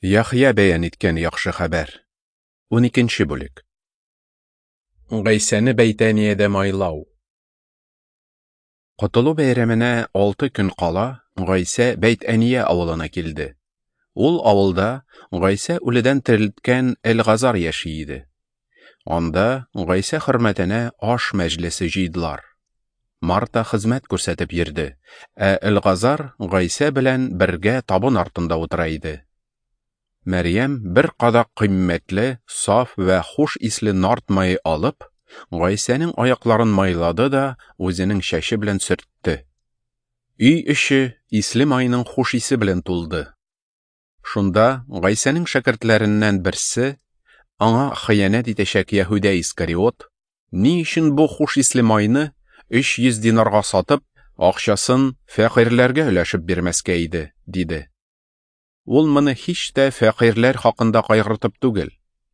Яхъя бәян иткән яхшы хәбәр. 12 бүлек. Гайсәне Бәйтәниядә майлау. Котылу бәйрәменә 6 көн кала Гайсә Бәйтәния авылына килде. Ул авылда Гайсә үледән терелткән Элгазар яши иде. Анда Гайсә хөрмәтенә аш мәҗлесе җыйдылар. Марта хезмәт күрсәтеп йөрде, ә Элгазар Гайсә белән бергә табын артында утыра иде. Мәрьям бер кадак кыйммәтле, саф вә хуш исле нард мае алып, Гайсәнең аякларын майлады да үзенең чәче белән сөртте. Өй эче исле майның хуш исе белән тулды. Шунда Гайсәнең шәкертләреннән берсе, аңа хыянәт итәчәк Яһүдә Искариот, ни өчен бу хуш исле майны 300 динарга сатып, акчасын фәкыйрьләргә өләшеп бирмәскә иде, диде. Ул моны һич тә фәкыйрьләр хакында кайгыртып түгел,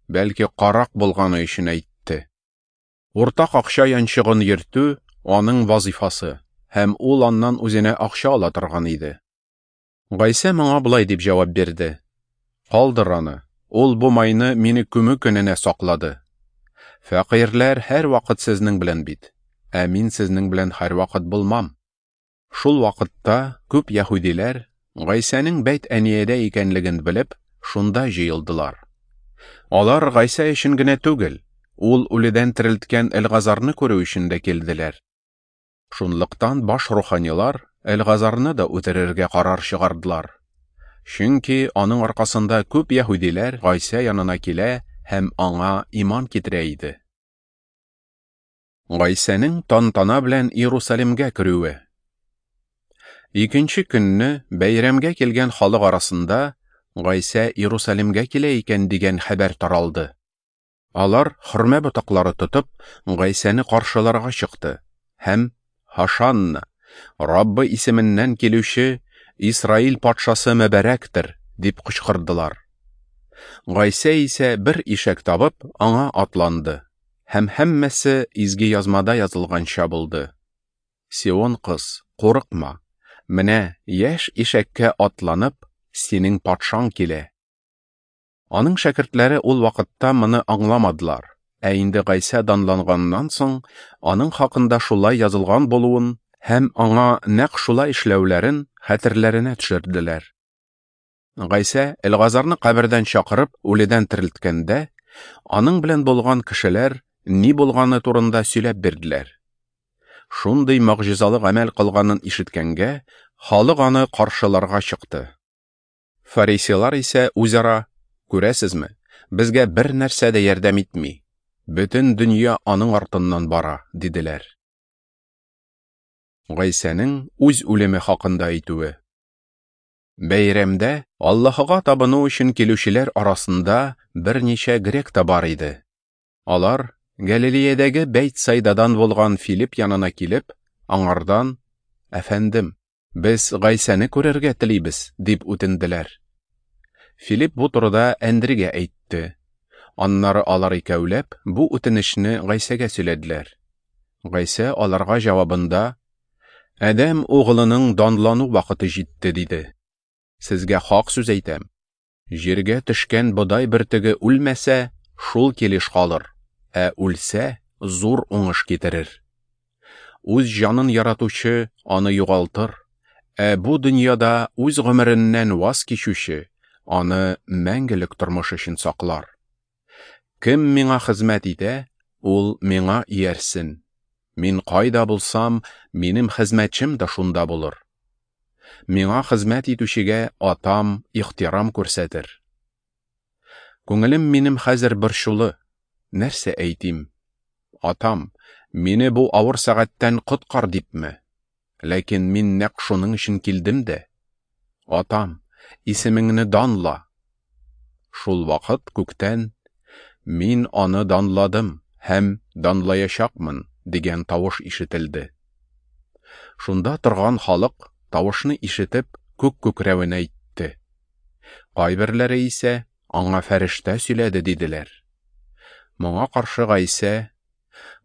бәлки карак булганы өчен әйтте. Уртак акча янчыгын йөртү аның вазифасы, һәм ул аннан үзенә акча ала торган иде. Гайсә моңа болай дип җавап бирде: Калдыр аны, ул бу майны мине күмү көненә саклады. Фәкыйрьләр һәрвакыт сезнең белән бит, ә мин сезнең белән һәрвакыт булмам. Шул вакытта күп яһүдиләр Гайсәнең Бәйт-Әниядә икәнлеген белеп, шунда җыелдылар. Алар Гайсә өчен генә түгел, ул үледән терелткән Элгазарны күрү өчен дә килделәр. Шунлыктан баш руханилар Элгазарны да үтерергә карар чыгардылар. Чөнки аның аркасында күп яһүдиләр Гайсә янына килә һәм аңа иман китерә иде. Гайсәнең тантана белән Иерусалимгә керүе. Икенче көнне бәйрәмгә килгән халык арасында Гайсә Иерусалимгә килә икән дигән хәбәр таралды. Алар хөрмә ботаклары тотып Гайсәне каршыларга чыкты һәм Һошанна, Раббы исеменнән килүче Исраил патшасы мөбарәктер, дип кычкырдылар. Гайсә исә бер ишәк табып аңа атланды, һәм һәммәсе изге язмада язылганча булды. Сион кыз, курыкма, менә яшь ишәккә атланып, синең патшаң килә. Аның шәкертләре ул вакытта моны аңламадылар, ә инде Гайсә данланганнан соң, аның хакында шулай язылган булуын һәм аңа нәкъ шулай эшләүләрен хәтерләренә төшерделәр. Гайсә Элгазарны кабердән чакырып, үледән терелткәндә, аның белән булган кешеләр ни булганы турында сөйләп бирделәр. Шундый могҗизалы гамәл кылганын ишеткәнгә, халык аны каршыларга чыкты. Фарисейлар исә үзара: Күрәсезме, безгә бер нәрсә дә ярдәм итми. Бөтен дөнья аның артыннан бара, диделәр. Гайсәнең үз үлеме хакында әйтүе. Бәйрәмдә Аллаһыга табыну өчен килүчеләр арасында берничә грек та бар иде. Алар Галилеядәге Бәйтсайдадан булган Филипп янына килеп, аңардан: Әфәндем, без Гайсәне күрергә телибез, дип үтенделәр. Филипп бу турыда Әндригә әйтте. Аннары алар икәүләп бу үтенечне Гайсәгә сөйләделәр. Гайсә аларга җавабында: Адәм угылының данлану вакыты җитте, диде. Сезгә хак сүз әйтәм. Җиргә төшкән бодай бөртеге үлмәсә, шул килеш калыр, ә үлсә, зур уңыш китерер. Үз җанын яратучы аны югалтыр, ә бу дөньяда үз гомереннән ваз кичүче аны мәңгелек тормыш өчен саклар. Кем миңа хезмәт итә, ул миңа иярсен. Мин кайда булсам, минем хезмәтчем дә шунда булыр. Миңа хезмәт итүчегә атам ихтирам күрсәтер. Күңелем минем хәзер борчулы. Нәрсә әйтим? Атам, мине бу авыр сәгатьтән коткар дипме? Ләкин мин нәкъ шуның өчен килдем дә. Атам, исемеңне данла. Шул вакыт күктән: Мин аны данладым һәм данлаячакмын, дигән тавыш ишетелде. Шунда торган халык тавышны ишетеп, күк күкрәвен әйтте. Кайберләре исә аңа фәрештә сөйләде, диделәр. Моңа каршы Гайсә: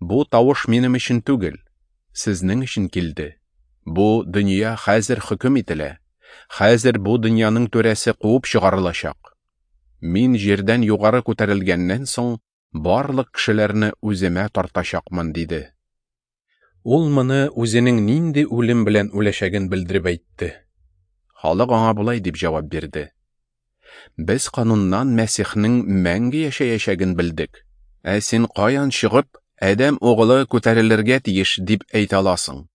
Бу тавыш минем өчен түгел, сезнең өчен килде. Бу дөнья хәзер хөкем ителә. Хәзер бу дөньяның түрәсе куып чыгарылачак. Мин җирдән югары күтәрелгәннән соң, барлык кешеләрне үземә тартачакмын, диде. Ул моны үзенең нинди үлем белән үләчәген белдереп әйтте. Халык аңа болай дип җавап бирде: Без кануннан Мәсихнең мәңге яшәячәген белдек. Ә син каян чыгып, Адәм угылы күтәрелергә тиеш дип әйтә аласың?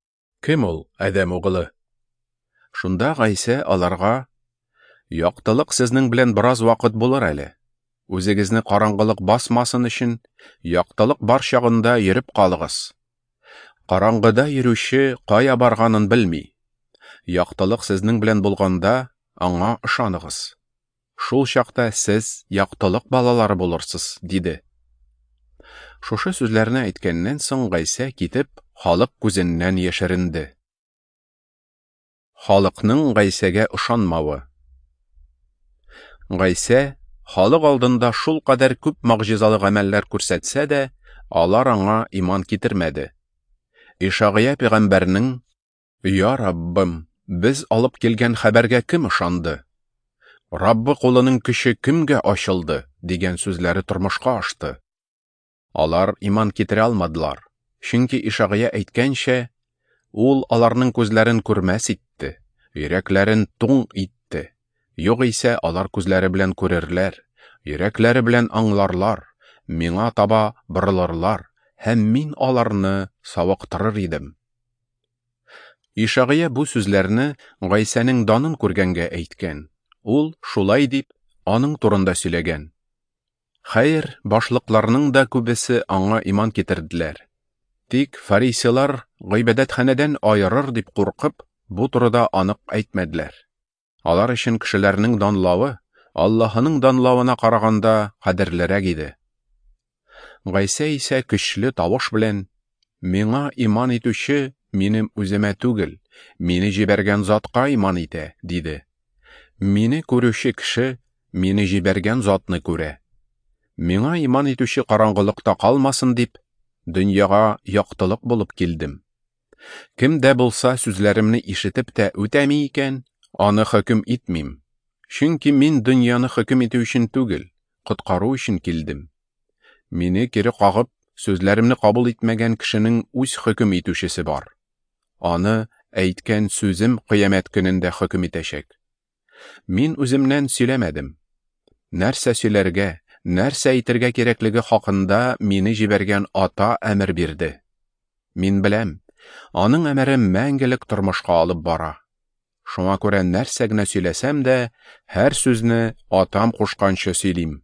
Кем ул Адәм угылы? Шунда Гайсә аларга: Яктылык сезнең белән бераз вакыт булыр әле. Үзегезне караңгылык басмасын өчен, яктылык бар чагында йөреп калыгыз. Караңгыда йөрүче кая барганын белми. Яктылык сезнең белән булганда, аңа ышаныгыз. Шул чакта сез яктылык балалары булырсыз, диде. Шушы сүзләрне әйткәннән соң Гайсә китеп, халык күзеннән яшеренде. Халыкның Гайсәгә ышанмавы. Гайсә халык алдында шулкадәр күп могҗизалы гамәлләр күрсәтсә дә, алар аңа иман китермәде. Ишагыя пәйгамбәрнең: Я Раббым, без алып килгән хәбәргә кем ышанды? Раббы кулының көче кемгә ачылды? дигән сүзләре тормышка ашты. Алар иман китерә алмадылар, чөнки Ишагыя әйткәнчә, ул аларның күзләрен күрмәс итте, йөрәкләрен туң итте. Югыйсә алар күзләре белән күрерләр, йөрәкләре белән аңларлар, миңа таба борылырлар, һәм мин аларны савыктырыр идем. Ишагыя бу сүзләрне Гайсәнең данын күргәнгә әйткән. Ул шулай дип аның турында сөйләгән. Хәер, башлыкларның да күбесе аңа иман китерделәр. Тик фарисейлар гыйбадәтханәдән аерыр дип куркып, бу турыда анык әйтмәделәр. Алар өчен кешеләрнең данлавы Аллаһының данлавына караганда кадерлерәк иде. Гайсә исә көчле тавыш белән: Миңа иман итүче минем үземә түгел, мине җибәргән затка иман итә, диде. Мине күрүче кеше мине җибәргән затны күрә. Миңа иман итүче караңгылыкта калмасын дип, дөньяга яктылык булып килдем. Кем дә булса сүзләремне ишетеп тә үтәми икән, аны хөкем итмим. Чөнки мин дөньяны хөкем итү өчен түгел, коткару өчен килдем. Мине кире кагып, сүзләремне кабул итмәгән кешенең үз хөкем итүчесе бар. Аны әйткән сүзем кыямәт көнендә хөкем итәчәк. Мин үземнән сөйләмәдем. Нәрсә сөйләргә, нәрсә әйтергә кирәклеге хакында мине җибәргән Ата әмер бирде. Мин беләм, аның әмере мәңгелек тормышка алып бара. Шуңа күрә нәрсә генә сөйләсәм дә, һәр сүзне Атам кушканча сөйлим.